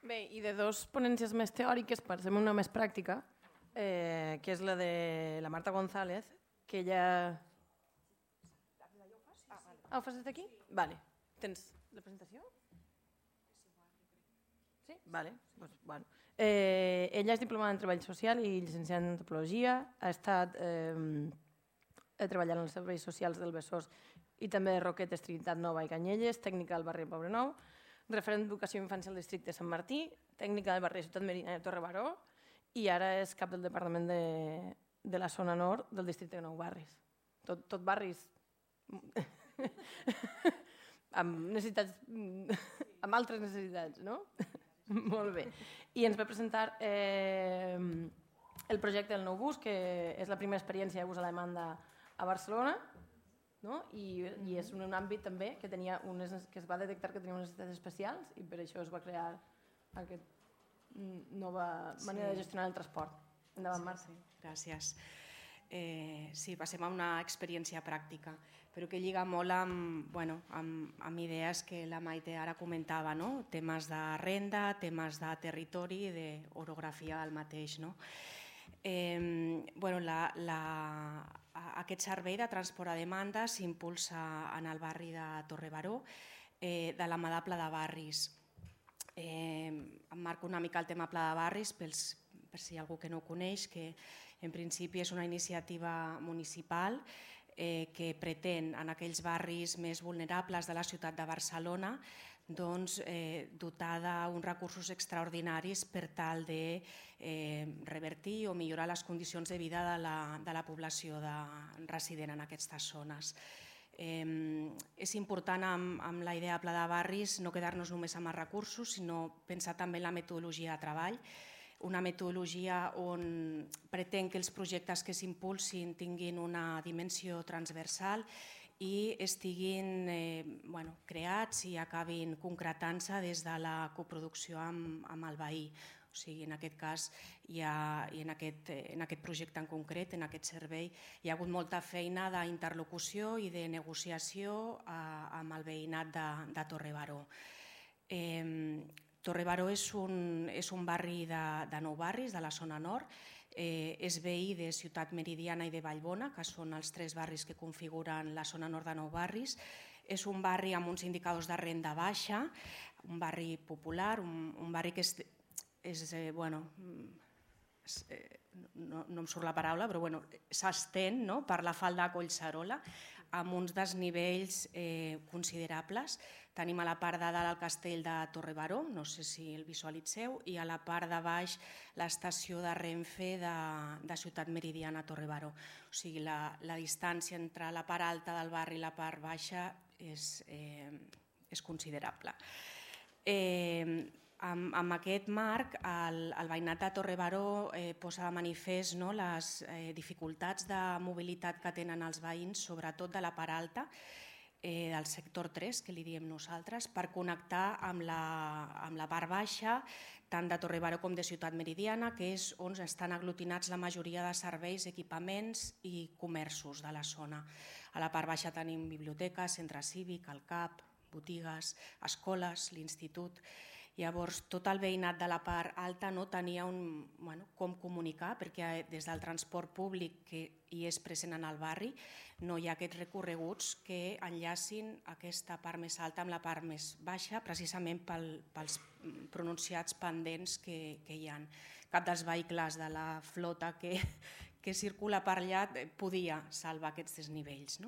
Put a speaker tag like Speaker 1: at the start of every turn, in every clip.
Speaker 1: Bé, i de dos ponències més teòriques, passem una més pràctica, que és la de la Marta González, que ella... Ah, ho fas des d'aquí? Vale. Tens la presentació? Sí? Vale. Pues, bueno. Ella és diplomada en Treball Social i llicenciada en Antropologia, ha estat treballant als serveis socials del Besòs i també de Roquetes, Trinitat Nova i Canyelles, tècnica del barri de Poblenou, referent d'Educació i Infància al districte de Sant Martí, tècnica del barri de Ciutat Meridiana de Torre Baró i ara és cap del departament de la zona nord del districte de Nou Barris. Tot barris amb necessitats, amb altres necessitats, no? Molt bé. I ens va presentar el projecte del nou bus, que és la primera experiència de bus a la demanda a Barcelona, no? I és un àmbit també que es va detectar que tenia unes necessitats especials i per això es va crear aquesta nova manera de gestionar el transport. Endavant, Marta.
Speaker 2: Gràcies. Sí, passem a una experiència pràctica, però que lliga molt amb idees que la Maite ara comentava, no? Temes de renda, temes de territori i d'orografia del mateix. No? Aquest servei de transport a demanda s'impulsa en el barri de Torre Baró de la mà de Pla de Barris. Emmarco una mica el tema Pla de Barris per si hi ha algú que no ho coneix, que en principi és una iniciativa municipal que pretén en aquells barris més vulnerables de la ciutat de Barcelona dotar d'uns recursos extraordinaris per tal de revertir o millorar les condicions de vida de la població resident en aquestes zones. És important amb la idea de Pla de Barris no quedar-nos només amb els recursos, sinó pensar també en la metodologia de treball, una metodologia on pretén que els projectes que s'impulsin tinguin una dimensió transversal i estiguin creats i acabin concretant-se des de la coproducció amb el veí. O sigui, en aquest cas i en aquest projecte en concret, en aquest servei, hi ha hagut molta feina d'interlocució i de negociació amb el veïnat de Torre Baró. Torre Baró és un barri de Nou Barris, de la zona nord, és veí de Ciutat Meridiana i de Vallbona, que són els tres barris que configuren la zona nord de Nou Barris. És un barri amb uns indicadors de renda baixa, un barri popular, un barri que no em surt la paraula, però s'estén per la falda de Collserola amb uns desnivells considerables. Tenim a la part de dalt el castell de Torre Baró, no sé si el visualitzeu, i a la part de baix l'estació de Renfe de Ciutat Meridiana a Torre Baró. O sigui, la distància entre la part alta del barri i la part baixa és considerable. Amb aquest marc, el veïnat de Torre Baró posa de manifest les dificultats de mobilitat que tenen els veïns, sobretot de la part alta, del sector 3, que li diem nosaltres, per connectar amb la part baixa, tant de Torre Baró com de Ciutat Meridiana, que és on estan aglutinats la majoria de serveis, equipaments i comerços de la zona. A la part baixa tenim biblioteca, centre cívic, el CAP, botigues, escoles, l'institut. Llavors, tot el veïnat de la part alta no tenia com comunicar, perquè des del transport públic que hi és present en el barri no hi ha aquests recorreguts que enllacin aquesta part més alta amb la part més baixa, precisament pels pronunciats pendents que hi ha. Cap dels vehicles de la flota que circula per allà podia salvar aquests desnivells.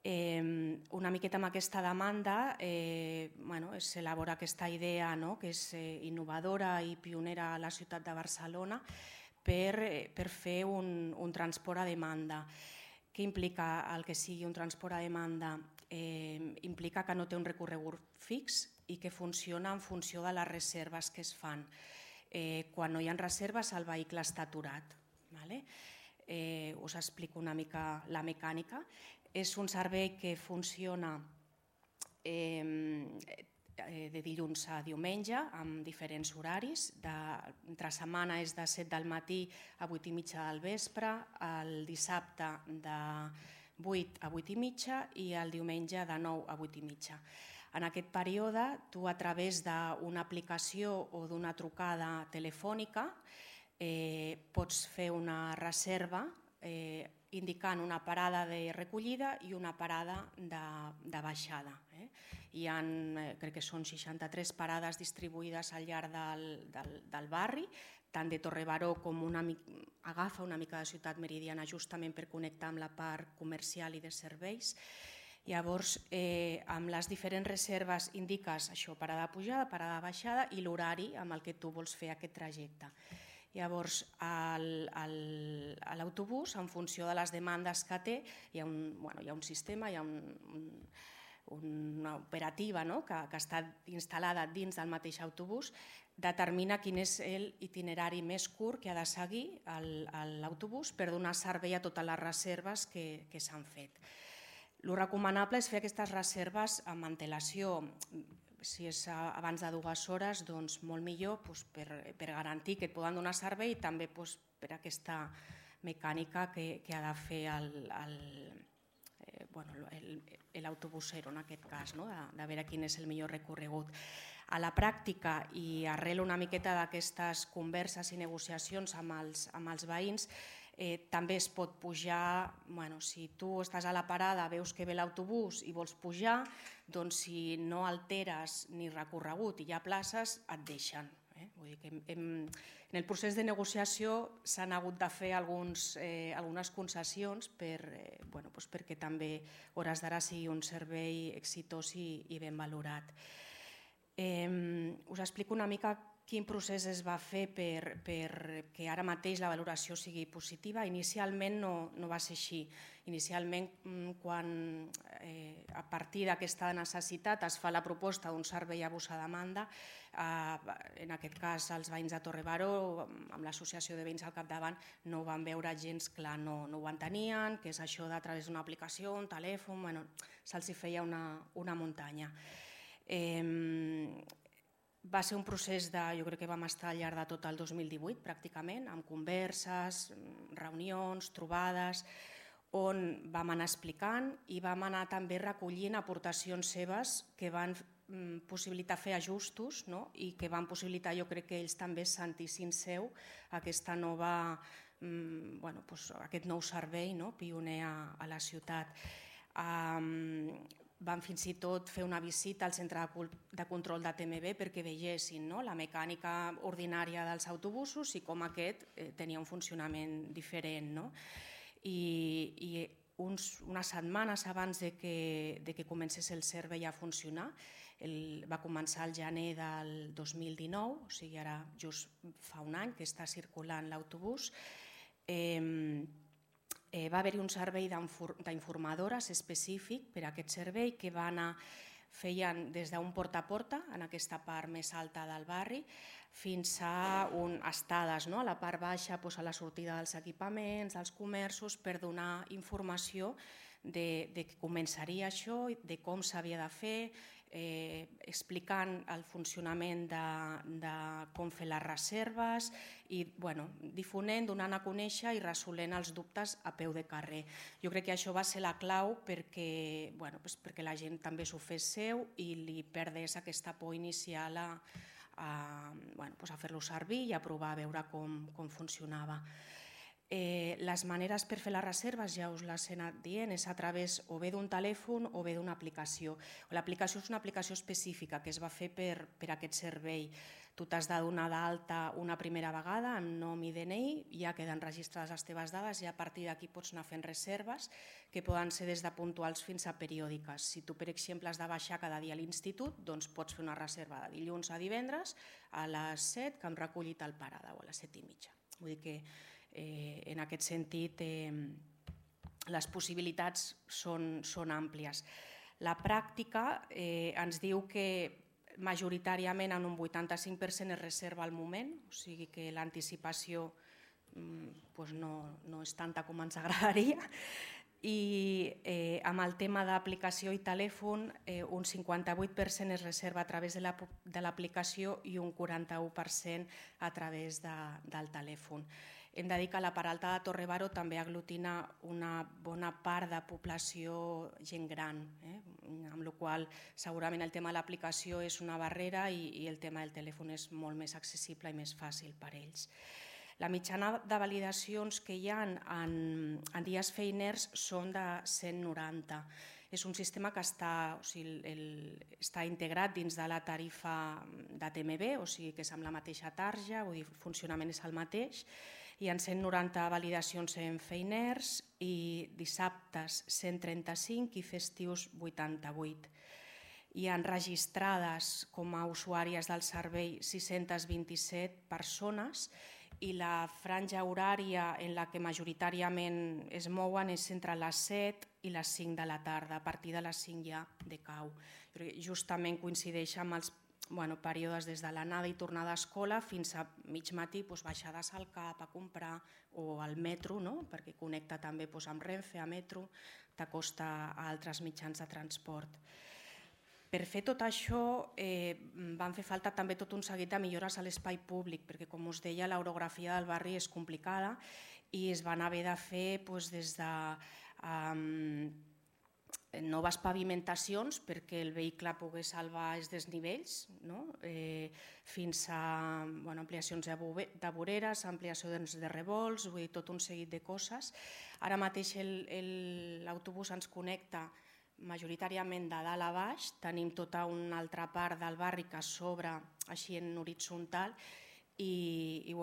Speaker 2: Una miqueta amb aquesta demanda s'elabora aquesta idea que és innovadora i pionera a la ciutat de Barcelona per fer un transport a demanda. Què implica el que sigui un transport a demanda? Implica que no té un recorregut fix i que funciona en funció de les reserves que es fan. Quan no hi ha reserves el vehicle està aturat. Us explico una mica la mecànica. És un servei que funciona de dilluns a diumenge amb diferents horaris. Entre setmana és de 7 del matí a 8 i mitja del vespre, el dissabte de 8 a 8 i mitja i el diumenge de 9 a 8 i mitja. En aquest període, tu a través d'una aplicació o d'una trucada telefònica pots fer una reserva indicant una parada de recollida i una parada de baixada. Hi ha, crec que són 63 parades distribuïdes al llarg del barri, tant de Torre Baró com agafa una mica de Ciutat Meridiana justament per connectar amb la part comercial i de serveis. Llavors, amb les diferents reserves indiques això, parada de pujada, parada de baixada i l'horari amb el que tu vols fer aquest trajecte. Llavors, a l'autobús, en funció de les demandes que té, hi ha un sistema, hi ha una operativa que està instal·lada dins del mateix autobús, determina quin és l'itinerari més curt que ha de seguir l'autobús per donar servei a totes les reserves que s'han fet. El recomanable és fer aquestes reserves amb antelació. Si és abans de 2 hores, doncs molt millor per garantir que et poden donar servei i també per aquesta mecànica que ha de fer l'autobusero en aquest cas, de veure quin és el millor recorregut. A la pràctica i arrel una miqueta d'aquestes converses i negociacions amb els veïns, també es pot pujar, si tu estàs a la parada, veus que ve l'autobús i vols pujar, doncs si no alteres ni recorregut i hi ha places, et deixen. Vull dir que en el procés de negociació s'han hagut de fer algunes concessions perquè també hores d'ara sigui un servei exitós i ben valorat. Us explico una mica quin procés es va fer perquè ara mateix la valoració sigui positiva. Inicialment no va ser així. Inicialment, quan a partir d'aquesta necessitat es fa la proposta d'un servei a vostra demanda, en aquest cas els veïns de Torre Baró, amb l'associació de veïns al capdavant, no ho van veure gens clar, no ho entenien, que és això de a través d'una aplicació, un telèfon, se'ls feia una muntanya. Va ser un procés jo crec que vam estar al llarg de tot el 2018 pràcticament, amb converses, reunions, trobades, on vam anar explicant i vam anar també recollint aportacions seves que van possibilitar fer ajustos i que van possibilitar, jo crec que ells també sentissin seu aquesta nova, aquest nou servei pioner a la ciutat. Vam fins i tot fer una visita al centre de control de TMB perquè vegessin la mecànica ordinària dels autobusos i com aquest tenia un funcionament diferent. I unes setmanes abans que comencés el servei a funcionar, va començar el gener del 2019, o sigui ara just fa un any que està circulant l'autobús, va haver-hi un servei d'informadores específic per a aquest servei que feien des d'un porta a porta, en aquesta part més alta del barri, fins a estades a la part baixa, a la sortida dels equipaments, dels comerços, per donar informació de que començaria això, de com s'havia de fer, explicant el funcionament de com fer les reserves i difonent, donant a conèixer i resolent els dubtes a peu de carrer. Jo crec que això va ser la clau perquè la gent també s'ho fes seu i li perdés aquesta por inicial a fer-lo servir i a provar a veure com funcionava. Les maneres per fer les reserves, ja us les he anat dient, és a través o bé d'un telèfon o bé d'una aplicació. L'aplicació és una aplicació específica que es va fer per aquest servei. Tu t'has de donar d'alta una primera vegada amb nom i DNI, ja queden registrades les teves dades i a partir d'aquí pots anar fent reserves que poden ser des de puntuals fins a periòdiques. Si tu, per exemple, has de baixar cada dia a l'institut, doncs pots fer una reserva de dilluns a divendres a les 7 que em reculli tal parada o a les 7:30. Vull dir que en aquest sentit les possibilitats són àmplies. La pràctica ens diu que majoritàriament en un 85% es reserva al moment, o sigui que l'anticipació no és tanta com ens agradaria, i amb el tema d'aplicació i telèfon un 58% es reserva a través de l'aplicació i un 41% a través del telèfon. Hem de dir que la Part Alta de Torre Baró també aglutina una bona part de població gent gran, amb la qual segurament el tema de l'aplicació és una barrera i el tema del telèfon és molt més accessible i més fàcil per a ells. La mitjana de validacions que hi ha en dies feiners són de 190. És un sistema que està integrat dins de la tarifa de TMB, o sigui que és amb la mateixa tarja, vull dir, el funcionament és el mateix. Hi ha 190 validacions en feiners i dissabtes 135 i festius 88. Hi ha registrades com a usuàries del servei 627 persones i la franja horària en la que majoritàriament es mouen és entre les 7 i les 5 de la tarda. A partir de les 5 ja decau. Justament coincideix amb els períodes des de l'anada i tornada a escola fins a mig matí, baixades al CAP a comprar o al metro, perquè connecta també amb Renfe, a metro, t'acosta a altres mitjans de transport. Per fer tot això van fer falta també tot un seguit de millores a l'espai públic, perquè com us deia l'orografia del barri és complicada i es van haver de fer des de noves pavimentacions perquè el vehicle pogués salvar els desnivells, fins a ampliacions de voreres, ampliació de revolts, vull dir, tot un seguit de coses. Ara mateix l'autobús ens connecta majoritàriament de dalt a baix, tenim tota una altra part del barri que s'obre així en horitzontal i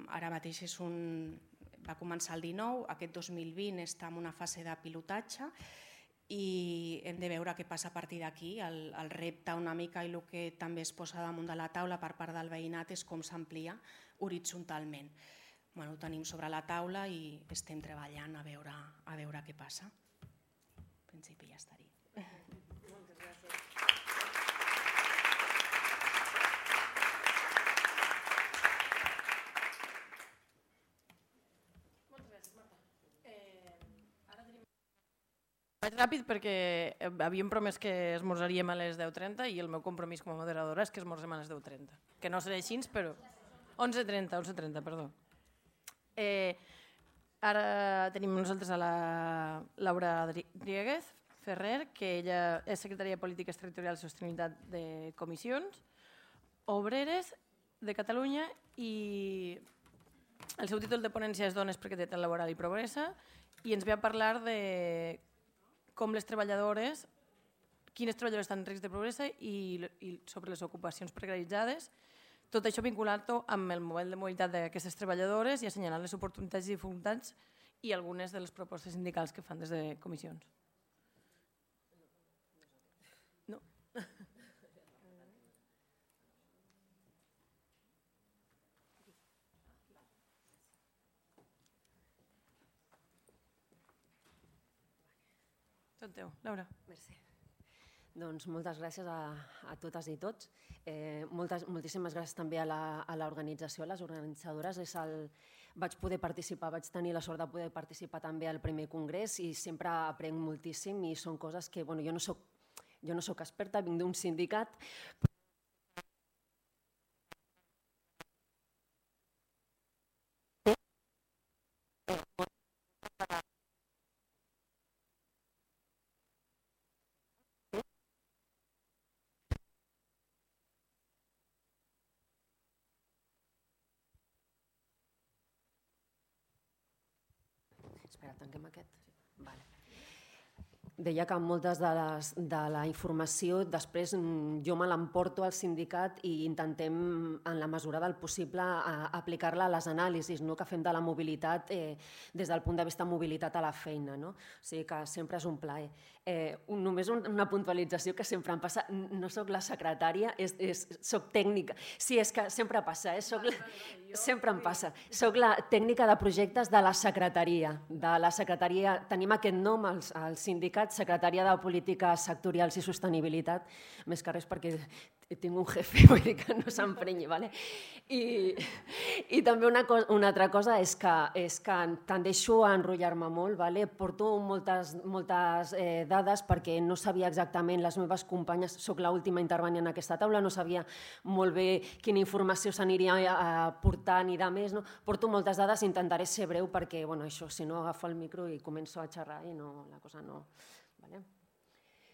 Speaker 2: ara mateix va començar el 19, aquest 2020 està en una fase de pilotatge i hem de veure què passa a partir d'aquí. El repte una mica i el que també es posa damunt de la taula per part del veïnat és com s'amplia horitzontalment. Ho tenim sobre la taula i estem treballant a veure què passa. En principi ja estaria.
Speaker 1: Moltes gràcies. Moltes gràcies, Marta. Ara tenim... Vaig ràpid perquè havíem promès que esmorzaríem a les 10:30 i el meu compromís com a moderadora és que esmorzem a les 10:30. Que no serà així, però... 11:30, perdó. Ara tenim nosaltres a la Laura Dríguez Ferrer, que ella és secretària de Polítiques Territorials i Sostenibilitat de Comissions Obreres de Catalunya i el seu títol de ponència és Dones, precarietat laboral i pobresa i ens ve a parlar de com les treballadores, quines treballadores estan en risc de pobresa i sobre les ocupacions precaritzades. Tot això vinculat amb el model de mobilitat d'aquestes treballadores i assenyalant les oportunitats i dificultats i algunes de les propostes sindicals que fan des de comissions. No. Tot teu, Laura.
Speaker 3: Merci. Doncs moltes gràcies a totes i tots. Moltíssimes gràcies també a l'organització, a les organitzadores. Vaig poder participar, vaig tenir la sort de poder participar també al primer congrés i sempre aprenc moltíssim i són coses que jo no soc experta, vinc d'un sindicat. Espera, tanquem aquest. Vale. Deia que moltes de la informació després jo me l'emporto al sindicat i intentem, en la mesura del possible, aplicar-la a les anàlisis que fem de la mobilitat des del punt de vista mobilitat a la feina. O sigui que sempre és un plaer. Només una puntualització que sempre em passa. No soc la secretària, soc tècnica. Sí, és que sempre passa, sempre em passa. Soc la tècnica de projectes de la secretaria. Tenim aquest nom al sindicat, Secretaria de Polítiques Sectorials i Sostenibilitat, més que res perquè tinc un jefe, vull dir que no s'emprenyi, ¿vale? I també una altra cosa és que tendeixo a enrotllar-me molt, ¿vale? Porto moltes dades perquè no sabia exactament, les meves companyes, soc l'última intervenint en aquesta taula, no sabia molt bé quina informació s'aniria portant i de més, no? Porto moltes dades, intentaré ser breu perquè, bueno, això, si no agafo el micro i començo a xerrar i no, la cosa no... ¿vale?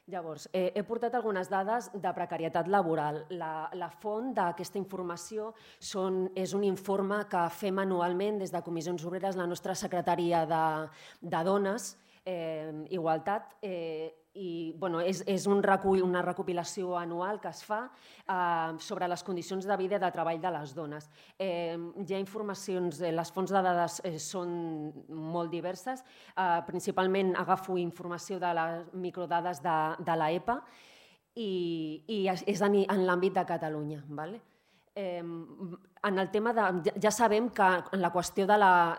Speaker 3: Llavors, he portat algunes dades de precarietat laboral. La font d'aquesta informació és un informe que fem anualment des de Comissions Obreres, la nostra secretaria de Dones, Igualtat, i és una recopilació anual que es fa sobre les condicions de vida i de treball de les dones. Hi ha informacions, les fonts de dades són molt diverses, principalment agafo informació de les microdades de l'EPA i és en l'àmbit de Catalunya. En el tema ja sabem que en la qüestió de la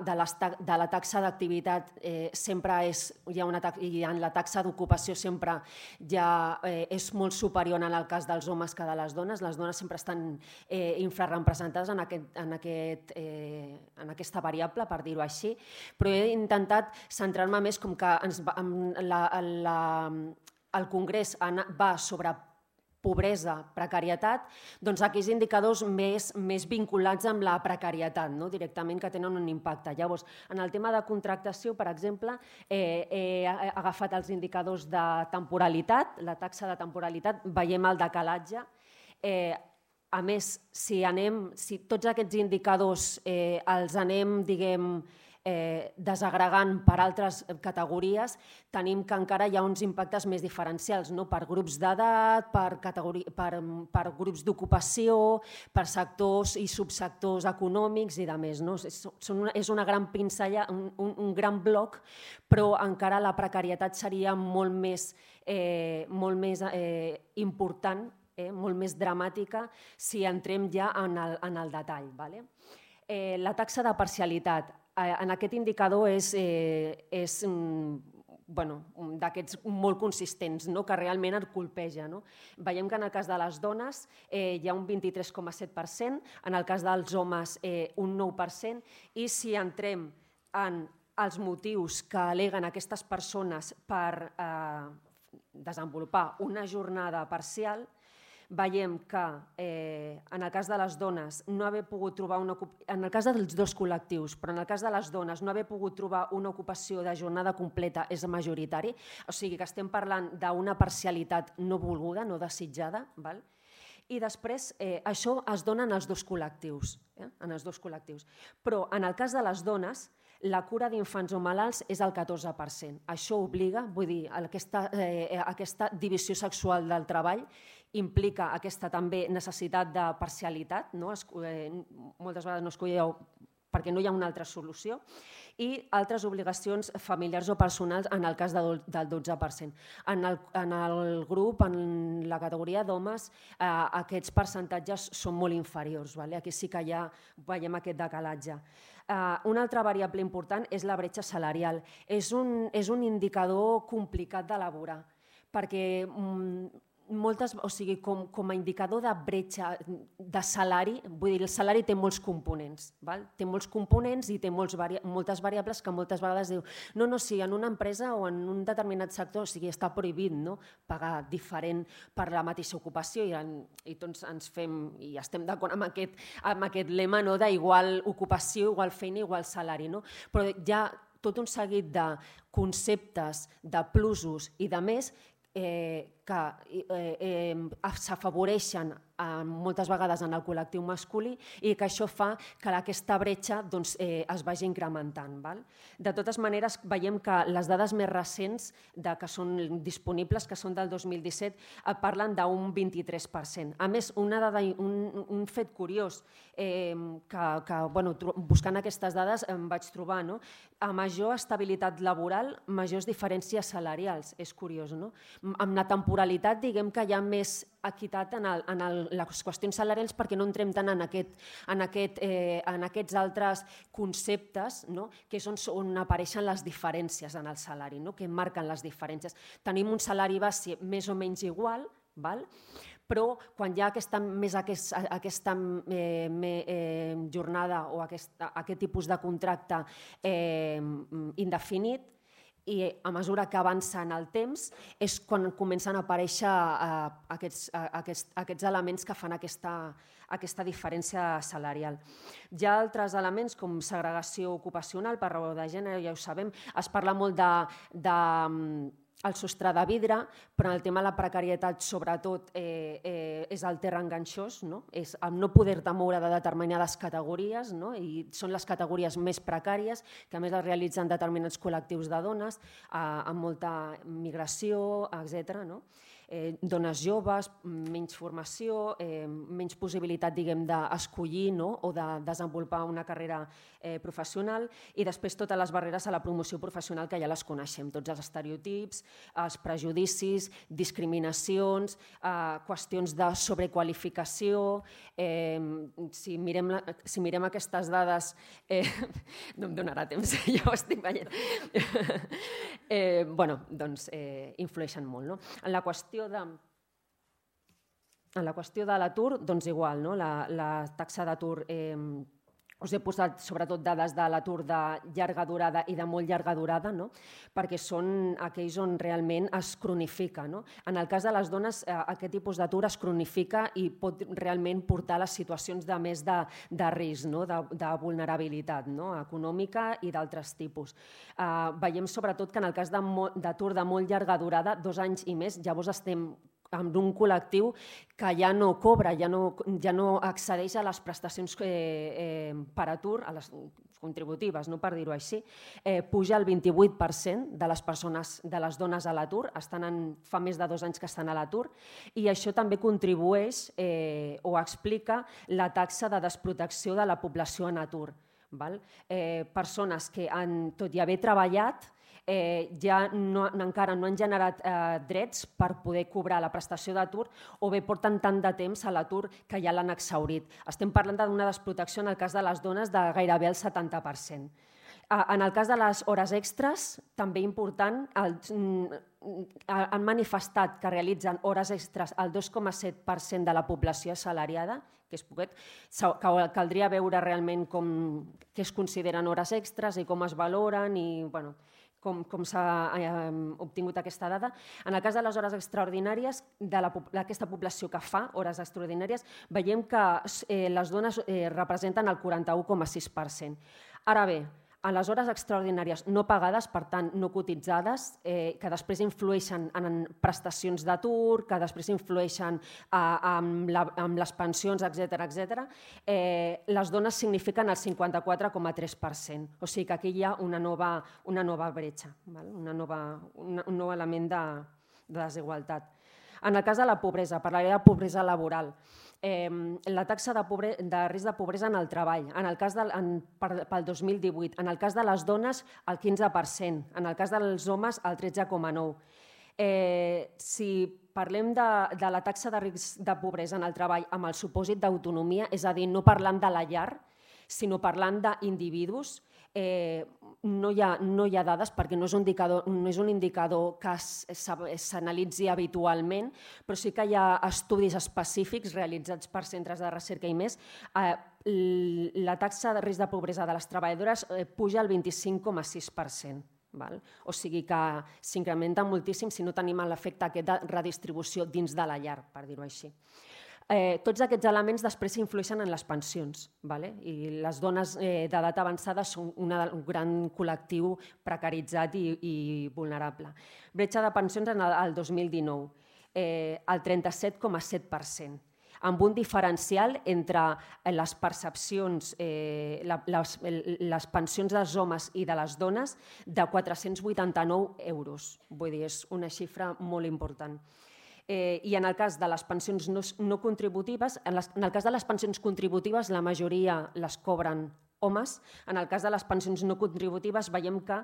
Speaker 3: taxa d'activitat sempre hi ha i en la taxa d'ocupació sempre ja és molt superior en el cas dels homes que de les dones. Les dones sempre estan infrarrepresentades en aquesta variable, per dir-ho així, però he intentat centrar-me més com que el Congrés va sobre pobresa, precarietat, doncs aquells indicadors més vinculats amb la precarietat, directament, que tenen un impacte. Llavors, en el tema de contractació, per exemple, he agafat els indicadors de temporalitat, la taxa de temporalitat, veiem el decalatge. A més, si tots aquests indicadors els anem, diguem, desagregant per altres categories, tenim que encara hi ha uns impactes més diferencials, per grups d'edat, per grups d'ocupació, per sectors i subsectors econòmics i de més. És una gran pinzella, un gran bloc, però encara la precarietat seria molt més important, molt més dramàtica, si entrem ja en el detall. La taxa de parcialitat. En aquest indicador és d'aquests molt consistents, que realment et colpeja. Veiem que en el cas de les dones hi ha un 23,7%, en el cas dels homes un 9%, i si entrem en els motius que al·leguen aquestes persones per desenvolupar una jornada parcial, veiem que en el cas de les dones no haver pogut trobar en el cas dels dos col·lectius, però en el cas de les dones no haver pogut trobar una ocupació de jornada completa és majoritari, o sigui que estem parlant d'una parcialitat no volguda, no desitjada, i després això es dona en els dos col·lectius, però en el cas de les dones la cura d'infants o malalts és el 14%. Això obliga, vull dir, aquesta divisió sexual del treball implica aquesta també necessitat de parcialitat, moltes vegades no escolleu perquè no hi ha una altra solució, i altres obligacions familiars o personals en el cas del 12%. En el grup, en la categoria d'homes, aquests percentatges són molt inferiors. Aquí sí que ja veiem aquest decalatge. Una altra variable important és la bretxa salarial. És un indicador complicat d'elaborar, perquè com a indicador de bretxa de salari, vull dir, el salari té molts components, i té moltes variables que moltes vegades diu no, si en una empresa o en un determinat sector està prohibit pagar diferent per la mateixa ocupació i tots ens fem i estem d'acord amb aquest lema d'igual ocupació, igual feina, igual salari, però hi ha tot un seguit de conceptes, de plusos i de més que s'afavoreixen moltes vegades en el col·lectiu masculí i que això fa que aquesta bretxa es vagi incrementant. De totes maneres, veiem que les dades més recents que són disponibles, que són del 2017, parlen d'un 23%. A més, un fet curiós que buscant aquestes dades em vaig trobar, a major estabilitat laboral, majors diferències salarials. És curiós, no? Amb la temporalitat, diguem que hi ha més equitat en les qüestions salarials perquè no entrem tant en aquests altres conceptes que és on apareixen les diferències en el salari, que marquen les diferències. Tenim un salari base més o menys igual, però quan hi ha aquesta jornada o aquest tipus de contracte indefinit, i a mesura que avança en el temps és quan comencen a aparèixer aquests elements que fan aquesta diferència salarial. Hi ha altres elements com segregació ocupacional per raó de gènere, ja ho sabem, es parla molt el sostre de vidre, però en el tema de la precarietat sobretot és el terra enganxós, és el no poder-te moure de determinades categories, i són les categories més precàries, que a més es realitzen determinats col·lectius de dones, amb molta migració, etc. Dones joves, menys formació, menys possibilitat d'escollir o de desenvolupar una carrera professional, i després totes les barreres a la promoció professional que ja les coneixem, tots els estereotips, els prejudicis, discriminacions, qüestions de sobrequalificació. Si mirem aquestes dades, no em donarà temps, ja ho estic veient, doncs influeixen molt. En la qüestió de l'atur, doncs igual, la taxa d'atur, us he posat sobretot dades de l'atur de llarga durada i de molt llarga durada, perquè són aquells on realment es cronifica. En el cas de les dones, aquest tipus d'atur es cronifica i pot realment portar a les situacions de més de risc, de vulnerabilitat econòmica i d'altres tipus. Veiem sobretot que en el cas d'atur de molt llarga durada, 2 anys i més, llavors estem amb un col·lectiu que ja no cobra, ja no accedeix a les prestacions per atur, a les contributives, per dir-ho així. Puja el 28% de les persones, de les dones a l'atur, fa més de 2 anys que estan a l'atur, i això també contribueix o explica la taxa de desprotecció de la població en atur. Persones que, tot i haver treballat, encara no han generat drets per poder cobrar la prestació d'atur, o bé porten tant de temps a l'atur que ja l'han exhaurit. Estem parlant d'una desprotecció en el cas de les dones de gairebé el 70%. En el cas de les hores extres, també important, han manifestat que realitzen hores extres el 2,7% de la població assalariada, que és poquet. Caldria veure realment què es consideren hores extres i com es valoren i com s'ha obtingut aquesta dada. En el cas de les hores extraordinàries, d'aquesta població que fa hores extraordinàries, veiem que les dones representen el 41,6%. Ara bé, a les hores extraordinàries no pagades, per tant no cotitzades, que després influeixen en prestacions d'atur, que després influeixen en les pensions, etc., les dones signifiquen el 54,3%. O sigui que aquí hi ha una nova bretxa, un nou element de desigualtat. En el cas de la pobresa, parlaré de pobresa laboral. La taxa de risc de pobresa en el treball, pel 2018, en el cas de les dones el 15%, en el cas dels homes el 13,9%. Si parlem de la taxa de risc de pobresa en el treball amb el supòsit d'autonomia, és a dir, no parlant de la llar, sinó parlant d'individus, no hi ha dades perquè no és un indicador que s'analitzi habitualment, però sí que hi ha estudis específics realitzats per centres de recerca i més. La taxa de risc de pobresa de les treballadores puja al 25,6%. O sigui que s'incrementa moltíssim si no tenim l'efecte aquest de redistribució dins de la llar, per dir-ho així. Tots aquests elements després influeixen en les pensions, i les dones d'edat avançada són un gran col·lectiu precaritzat i vulnerable. Bretxa de pensions en el 2019, el 37,7%, amb un diferencial entre les percepcions, les pensions dels homes i de les dones de 489 euros. Vull dir, és una xifra molt important. I en el cas de les pensions no contributives, en el cas de les pensions contributives la majoria les cobren homes. En el cas de les pensions no contributives veiem que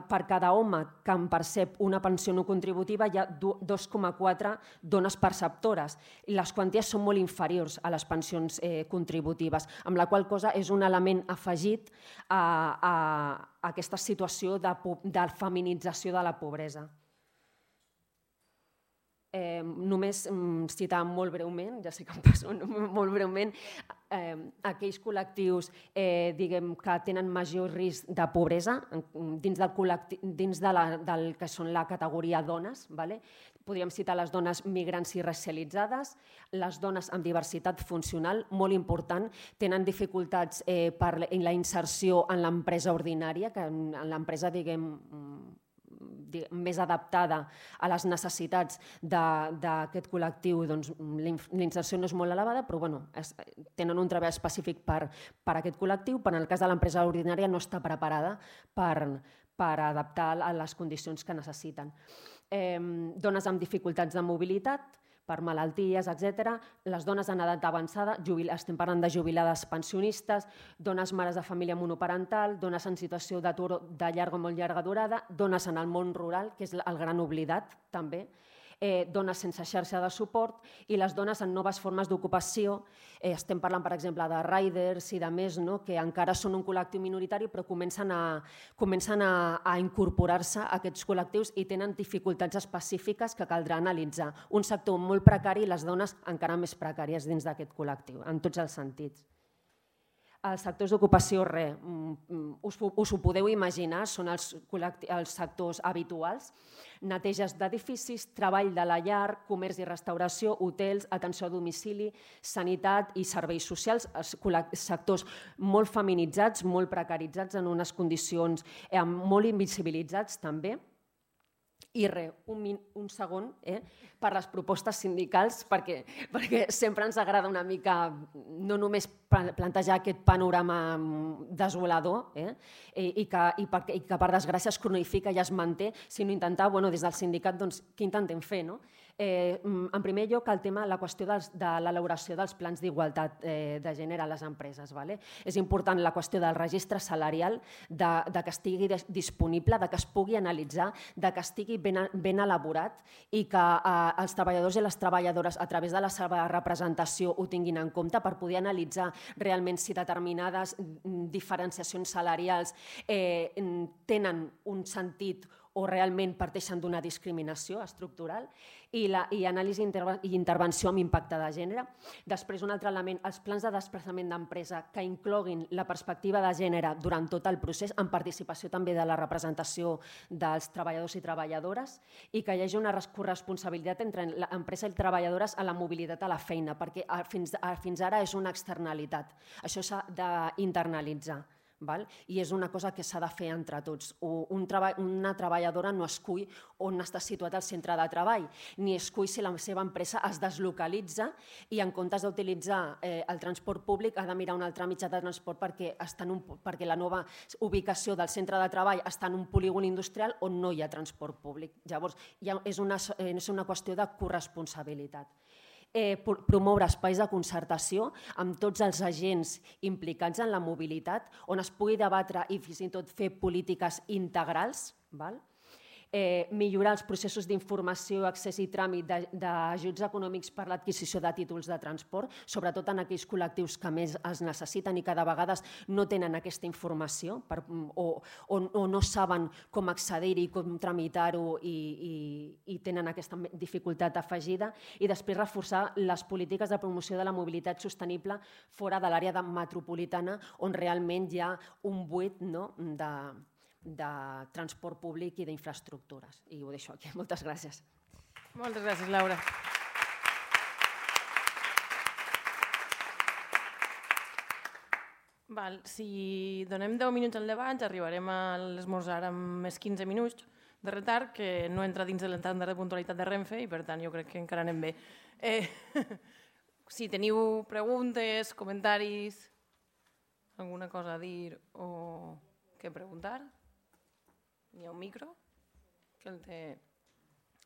Speaker 3: per cada home que en percep una pensió no contributiva hi ha 2,4 dones perceptores i les quanties són molt inferiors a les pensions contributives, amb la qual cosa és un element afegit a aquesta situació de feminització de la pobresa. Només citar molt breument, ja sé que em passo molt breument, aquells col·lectius diguem, que tenen major risc de pobresa dins del que són la categoria dones. Podríem citar les dones migrants i racialitzades, les dones amb diversitat funcional, molt important, tenen dificultats per la inserció en l'empresa ordinària, que en l'empresa, diguem, més adaptada a les necessitats d'aquest col·lectiu, doncs la inserció no és molt elevada, però tenen un treball específic per aquest col·lectiu, però en el cas de l'empresa ordinària no està preparada per adaptar a les condicions que necessiten. Dones amb dificultats de mobilitat, per malalties, etc. Les dones en edat avançada, estem parlant de jubilades pensionistes, dones mares de família monoparental, dones en situació d'atur de llarga o molt llarga durada, dones en el món rural, que és el gran oblidat també, dones sense xarxa de suport i les dones en noves formes d'ocupació. Estem parlant, per exemple, de riders i de més, que encara són un col·lectiu minoritari però comencen a incorporar-se a aquests col·lectius i tenen dificultats específiques que caldrà analitzar. Un sector molt precari i les dones encara més precàries dins d'aquest col·lectiu, en tots els sentits. Els sectors d'ocupació, us ho podeu imaginar, són els sectors habituals: neteges d'edificis, treball de la llar, comerç i restauració, hotels, atenció a domicili, sanitat i serveis socials, sectors molt feminitzats, molt precaritzats, en unes condicions molt invisibilitzats també. I un segon per les propostes sindicals, perquè sempre ens agrada una mica no només plantejar aquest panorama desolador i que per desgràcia es cronifica i es manté, sinó intentar, des del sindicat, què intentem fer? En primer lloc, la qüestió de l'elaboració dels plans d'igualtat de gènere a les empreses. És important la qüestió del registre salarial, que estigui disponible, que es pugui analitzar, que estigui ben elaborat i que els treballadors i les treballadores, a través de la seva representació, ho tinguin en compte per poder analitzar realment si determinades diferenciacions salarials tenen un sentit o realment parteixen d'una discriminació estructural, i anàlisi i intervenció amb impacte de gènere. Després, un altre element, els plans de desplaçament d'empresa que incloguin la perspectiva de gènere durant tot el procés, amb participació també de la representació dels treballadors i treballadores, i que hi hagi una corresponsabilitat entre l'empresa i treballadores a la mobilitat a la feina, perquè fins ara és una externalitat. Això s'ha d'internalitzar. I és una cosa que s'ha de fer entre tots. Una treballadora no escull on està situat el centre de treball, ni escull si la seva empresa es deslocalitza i en comptes d'utilitzar el transport públic ha de mirar un altre mitjà de transport perquè la nova ubicació del centre de treball està en un polígon industrial on no hi ha transport públic. Llavors, és una qüestió de corresponsabilitat. Promoure espais de concertació amb tots els agents implicats en la mobilitat, on es pugui debatre i fins i tot fer polítiques integrals, millorar els processos d'informació, accés i tràmit d'ajuts econòmics per l'adquisició de títols de transport, sobretot en aquells col·lectius que més els necessiten i que de vegades no tenen aquesta informació o no saben com accedir-hi, com tramitar-ho i tenen aquesta dificultat afegida. I després reforçar les polítiques de promoció de la mobilitat sostenible fora de l'àrea metropolitana, on realment hi ha un buit de transport públic i d'infraestructures. I ho deixo aquí. Moltes gràcies.
Speaker 1: Moltes gràcies, Laura. Si donem 10 minuts al debat, arribarem a l'esmorzar amb més 15 minuts de retard, que no entra dins de l'estàndard de puntualitat de Renfe i, per tant, jo crec que encara anem bé. Si teniu preguntes, comentaris, alguna cosa a dir o què preguntar, hi ha un micro que el té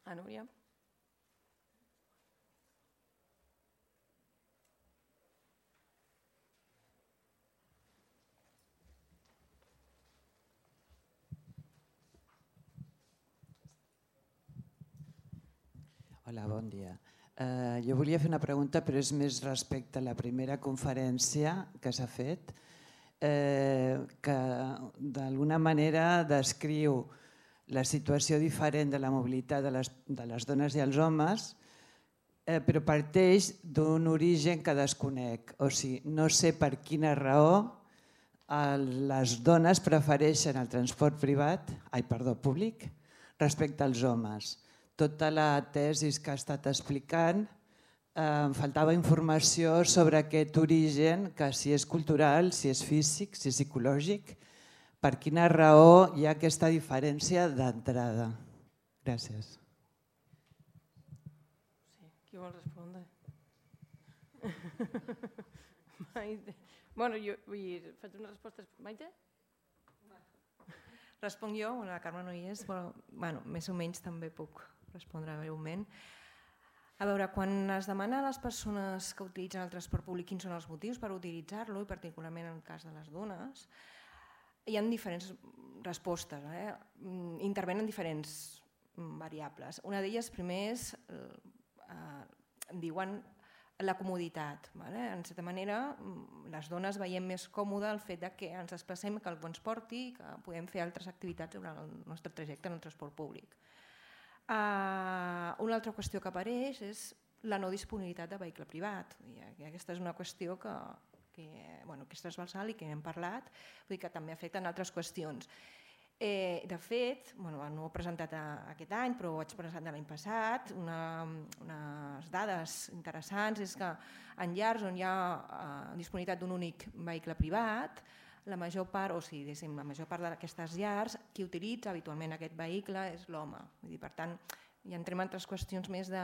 Speaker 1: a Núria.
Speaker 4: Hola, bon dia. Jo volia fer una pregunta, però és més respecte a la primera conferència que s'ha fet, que d'alguna manera descriu la situació diferent de la mobilitat de les dones i els homes, però parteix d'un origen que desconec. O sigui, no sé per quina raó les dones prefereixen el transport públic respecte als homes. Tota la tesi que ha estat explicant, em faltava informació sobre aquest origen, que si és cultural, si és físic, si és psicològic, per quina raó hi ha aquesta diferència d'entrada. Gràcies.
Speaker 1: Qui vol respondre? Maite. Bueno, jo faig una resposta. Maite?
Speaker 5: Responc jo, la Carme no hi és, però més o menys també puc respondre breument. A veure, quan es demana a les persones que utilitzen el transport públic quins són els motius per utilitzar-lo, i particularment en el cas de les dones, hi ha diferents respostes, intervenen diferents variables. Una d'elles, primer, és, diuen, la comoditat. En certa manera, les dones veiem més còmode el fet que ens desplacem, que algú ens porti, que podem fer altres activitats durant el nostre trajecte en el transport públic. Una altra qüestió que apareix és la no disponibilitat de vehicle privat. Aquesta és una qüestió que és transversal i que hem parlat, que també afecta altres qüestions. De fet, no ho he presentat aquest any, però ho vaig presentar l'any passat, unes dades interessants és que en llars on hi ha disponibilitat d'un únic vehicle privat, la major part d'aquestes llars, qui utilitza habitualment aquest vehicle és l'home. Per tant, ja entrem en altres qüestions més de,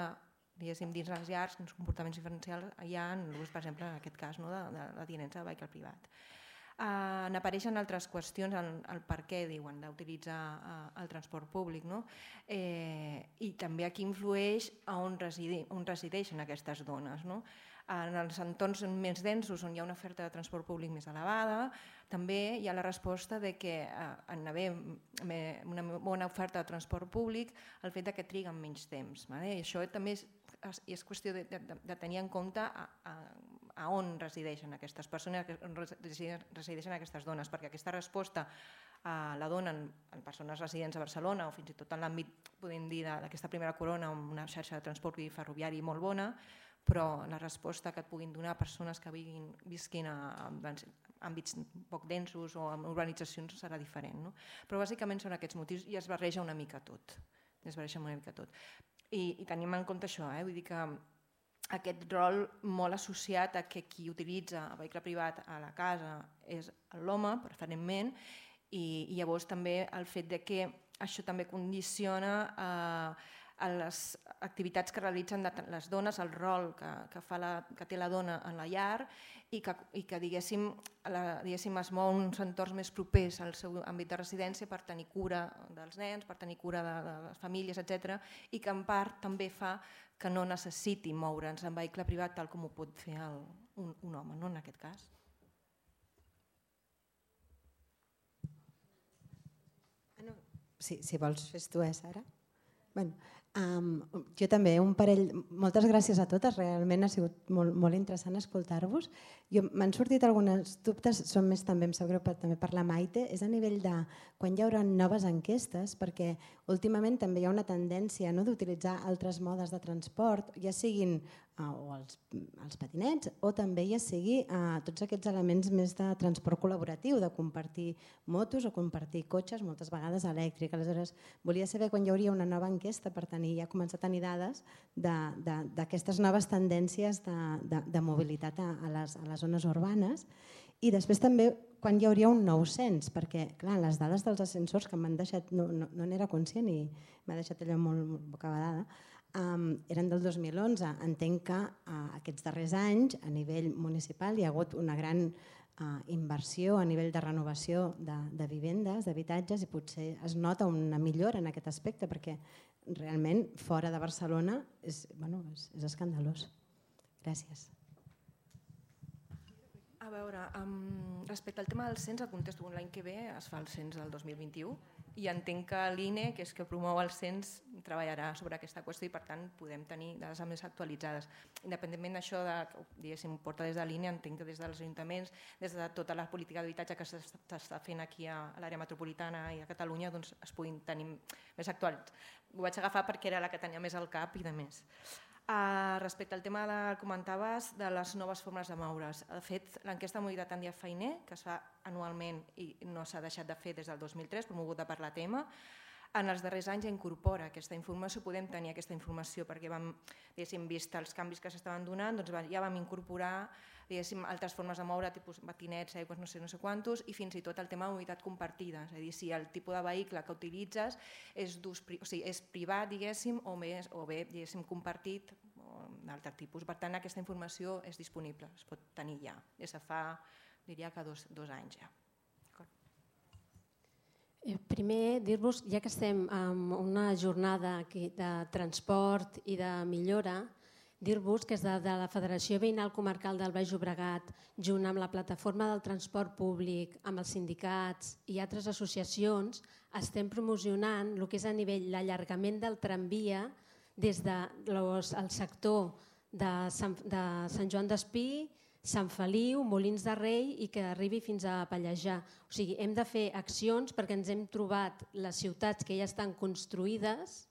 Speaker 5: dins les llars, quins comportaments diferencials hi ha, per exemple, en aquest cas, de la tinença de vehicle privat. N'apareixen altres qüestions, el per què diuen d'utilitzar el transport públic, i també aquí influeix on resideixen aquestes dones. En els entorns més densos, on hi ha una oferta de transport públic més elevada, també hi ha la resposta que en haver una bona oferta de transport públic, el fet que triguen menys temps. I això també és qüestió de tenir en compte a on resideixen aquestes persones, on resideixen aquestes dones, perquè aquesta resposta la donen en persones residents a Barcelona o fins i tot en l'àmbit, podem dir, d'aquesta primera corona, amb una xarxa de transport ferroviari molt bona, però la resposta que et puguin donar persones que visquin en àmbits poc densos o en urbanitzacions serà diferent. Però bàsicament són aquests motius i es barreja una mica tot. I tenim en compte això, vull dir que aquest rol molt associat a que qui utilitza el vehicle privat a la casa és l'home, preferentment, i llavors també el fet que això també condiciona a les activitats que realitzen les dones, el rol que té la dona en la llar i que diguéssim es mou en uns entorns més propers al seu àmbit de residència per tenir cura dels nens, per tenir cura de les famílies, etc. I que en part també fa que no necessiti moure'ns en vehicle privat tal com ho pot fer un home, en aquest cas.
Speaker 6: Si vols fes tu, Sara? Jo també, un parell... Moltes gràcies a totes, realment ha sigut molt interessant escoltar-vos. M'han sortit alguns dubtes, són més també, em sap greu també per la Maite, és a nivell de quan hi haurà noves enquestes, perquè últimament també hi ha una tendència d'utilitzar altres modes de transport, ja siguin els patinets o també ja sigui tots aquests elements més de transport col·laboratiu, de compartir motos o compartir cotxes, moltes vegades elèctrics. Aleshores, volia saber quan hi hauria una nova enquesta per ja començar a tenir dades d'aquestes noves tendències de mobilitat a les zones urbanes i després també quan hi hauria un nou cens, perquè clar, les dades dels ascensors que m'han deixat, no n'era conscient i m'ha deixat allò molt bocabadada, eren del 2011. Entenc que aquests darrers anys a nivell municipal hi ha hagut una gran inversió a nivell de renovació de vivendes, d'habitatges, i potser es nota una millora en aquest aspecte perquè realment fora de Barcelona és escandalós. Gràcies.
Speaker 5: A veure, respecte al tema del cens, el contesto, l'any que ve es fa el cens del 2021, i entenc que l'INE, que és que promou el cens, treballarà sobre aquesta qüestió i per tant podem tenir dades més actualitzades. Independentment d'això, diguéssim, porta des de l'INE, entenc que des dels ajuntaments, des de tota la política d'habitatge que s'està fent aquí a l'àrea metropolitana i a Catalunya, doncs es puguin tenir més actuals. Ho vaig agafar perquè era la que tenia més al cap i de més. Respecte al tema que comentaves de les noves formes de moure's. De fet, l'enquesta de mobilitat en dia feiner, que es fa anualment i no s'ha deixat de fer des del 2003, promoguda per l'ATM, en els darrers anys ja incorpora aquesta informació, podem tenir aquesta informació perquè vam, vist els canvis que s'estaven donant, doncs ja vam incorporar altres formes de moure, tipus patinets, aigües, no sé quantos, i fins i tot el tema de mobilitat compartida, és a dir, si el tipus de vehicle que utilitzes és privat, diguéssim, o bé, diguéssim, compartit, o d'altre tipus. Per tant, aquesta informació és disponible, es pot tenir ja, des de fa, diria que 2 anys ja.
Speaker 7: Primer, dir-vos, ja que estem en una jornada de transport i de millora, dir-vos que des de la Federació Veïnal Comarcal del Baix Llobregat, junt amb la plataforma del transport públic, amb els sindicats i altres associacions, estem promocionant el que és a nivell l'allargament del tramvia des del sector de Sant Joan d'Espí, Sant Feliu, Molins de Rei i que arribi fins a Pallejà. O sigui, hem de fer accions perquè ens hem trobat les ciutats que ja estan construïdes,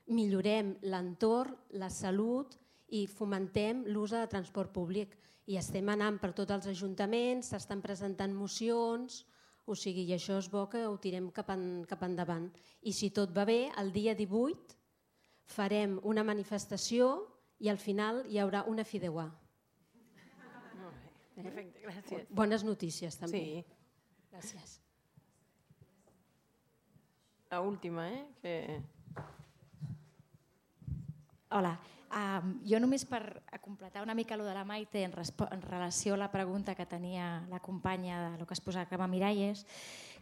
Speaker 7: millorem l'entorn, la salut i fomentem l'ús de transport públic. I estem anant per tots els ajuntaments, s'estan presentant mocions, o sigui, i això és bo que ho tirem cap endavant. I si tot va bé, el dia 18 farem una manifestació i al final hi haurà una fideuà.
Speaker 1: Perfecte, gràcies.
Speaker 7: Bones notícies, també.
Speaker 1: Sí.
Speaker 7: Gràcies.
Speaker 1: La última,
Speaker 8: Hola. Jo només per completar una mica el de la Maite en relació a la pregunta que tenia la companya del que es posava Carme Miralles.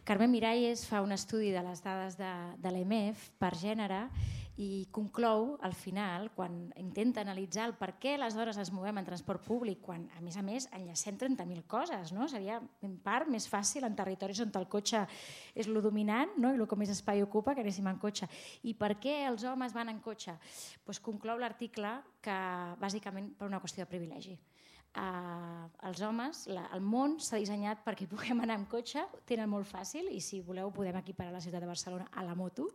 Speaker 8: Carme Miralles fa un estudi de les dades de l'EMF per gènere i conclou al final, quan intenta analitzar el per què les dones es movem en transport públic, quan a més enllacem 30.000 coses, no? Seria en part més fàcil en territoris on el cotxe és el dominant, no? I el que més espai ocupa que anéssim en cotxe. I per què els homes van en cotxe? Pues conclou l'article que bàsicament per una qüestió de privilegi. Els homes, el món s'ha dissenyat perquè puguem anar amb cotxe, ho tenen molt fàcil i si voleu podem equiparar la ciutat de Barcelona a la moto,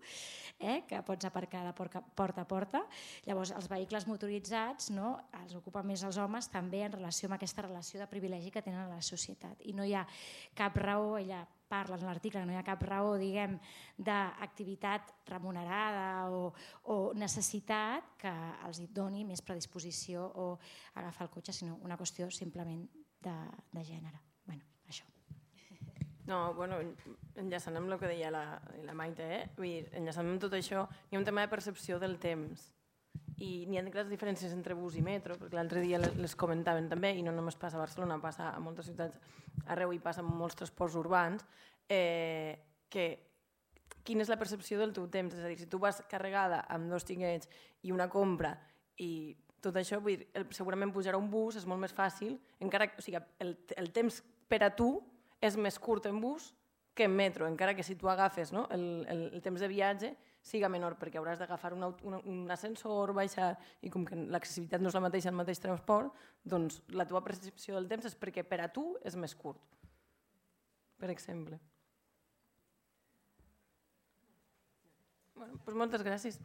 Speaker 8: que pots aparcar de porta a porta. Llavors els vehicles motoritzats els ocupen més els homes també en relació amb aquesta relació de privilegi que tenen a la societat i no hi ha cap raó, ella parla en l'article, no hi ha cap raó d'activitat remunerada o necessitat que els doni més predisposició o agafar el cotxe, sinó una qüestió simplement de gènere. Bueno, això.
Speaker 1: No, bueno, enllaçant amb el que deia la Maite, enllaçant amb tot això, hi ha un tema de percepció del temps i n'hi ha grans diferències entre bus i metro, perquè l'altre dia les comentaven també, i no només passa a Barcelona, passa a moltes ciutats arreu i passa amb molts transports urbans, que quina és la percepció del teu temps? És a dir, si tu vas carregada amb 2 tiquets i una compra i tot això, segurament pujar a un bus és molt més fàcil, encara que el temps per a tu és més curt en bus que en metro, encara que si tu agafes el temps de viatge siga menor, perquè hauràs d'agafar un ascensor, baixar, i com que l'accessibilitat no és la mateixa al mateix transport, doncs la teva percepció del temps és perquè per a tu és més curt, per exemple. Moltes gràcies.